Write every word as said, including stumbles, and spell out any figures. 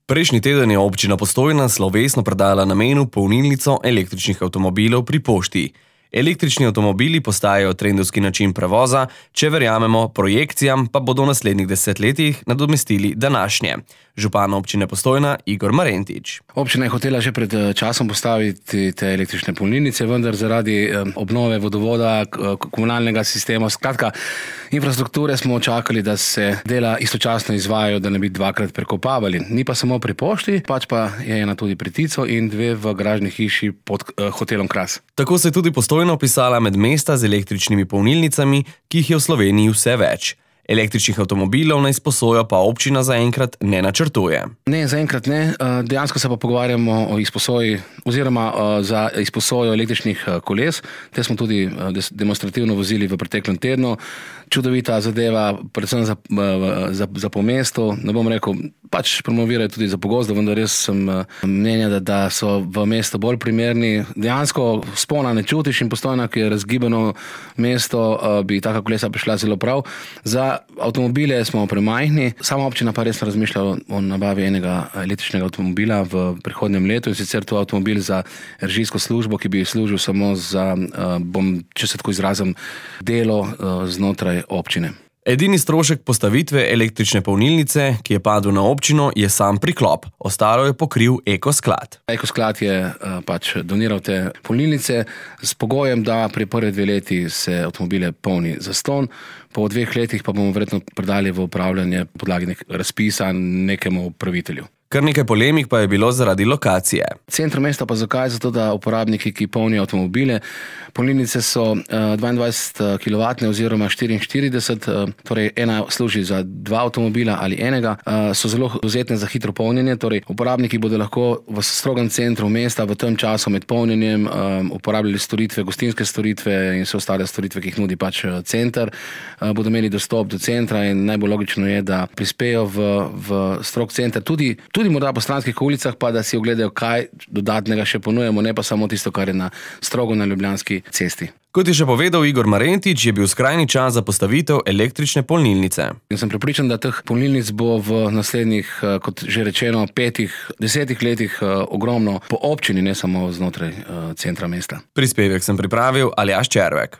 Prejšnji teden je občina Postojna slovesno predala namenu polnilnico električnih avtomobilov pri pošti. Električni avtomobili postajajo trendovski način prevoza, če verjamemo projekcijam, pa bodo v naslednjih desetletjih nadomestili današnje. Župan občine Postojna Igor Marentič. Občina je hotela že pred časom postaviti te električne polnilnice, vendar zaradi obnove vodovoda, komunalnega sistema, skratka infrastrukture smo čakali, da se dela istočasno izvajajo, da ne bi dvakrat prekopavali. Ni pa samo pri pošti, pač pa je ena tudi pri Tico in dve v garažni hiši pod uh, hotelom Kras. Tako se je tudi Postojna opisala med mesta z električnimi polnilnicami, ki jih je v Sloveniji vse več. Električnih avtomobilov na izposojo pa občina zaenkrat ne načrtuje. Ne, zaenkrat ne. Dejansko se pa pogovarjamo o izposoji oziroma za izposojo električnih koles. Te smo tudi demonstrativno vozili v preteklem tednu. Čudovita zadeva, predvsem za, za, za po mestu. Ne bom rekel, pač promovirajo tudi za pogozdo, vendar res sem mnenja, da, da so v mestu bolj primerni. Dejansko spona ne čutiš in Postojna, ki je razgibano mesto, bi taka kolesa prišla zelo prav. Za avtomobile smo premajhni, sama občina pa res razmišlja o nabavi enega električnega avtomobila v prihodnjem letu, in sicer to avtomobil za režijsko službo, ki bi služil samo za, bom, če se tako izrazim, delo znotraj občine. Edini strošek postavitve električne polnilnice, ki je padel na občino, je sam priklop. Ostalo je pokril Ekosklad. Ekosklad je pač doniral te polnilnice s pogojem, da pri prve dve leti se avtomobile polni zastonj, po dveh letih pa bomo verjetno predali v upravljanje podlagi nek razpisa nekemu upravitelju. Kar nekaj polemik pa je bilo zaradi lokacije. Centru mesta pa zakaj? Zato, da uporabniki, ki polnijo avtomobile, polnilnice so dvaindvajset kilovatne oziroma štiriinštirideset, torej ena služi za dva avtomobila ali enega, so zelo dovzetne za hitro polnjenje, torej uporabniki bodo lahko v strogem centru mesta v tem času med polnjenjem uporabljali storitve, gostinske storitve in vse ostale storitve, ki jih nudi pač center, bodo imeli dostop do centra in najbolj logično je, da prispejo v, v strog center, tudi tudi morda po stranskih ulicah, pa da si ogledajo, kaj dodatnega še ponujemo, ne pa samo tisto, kar je na strogo na Ljubljanski cesti. Kot je še povedal Igor Marentič, je bil skrajni čas za postavitev električne polnilnice. In sem prepričan, da teh polnilnic bo v naslednjih, kot že rečeno, petih, desetih letih ogromno po občini, ne samo znotraj centra mesta. Prispevek sem pripravil Aljaž Červek.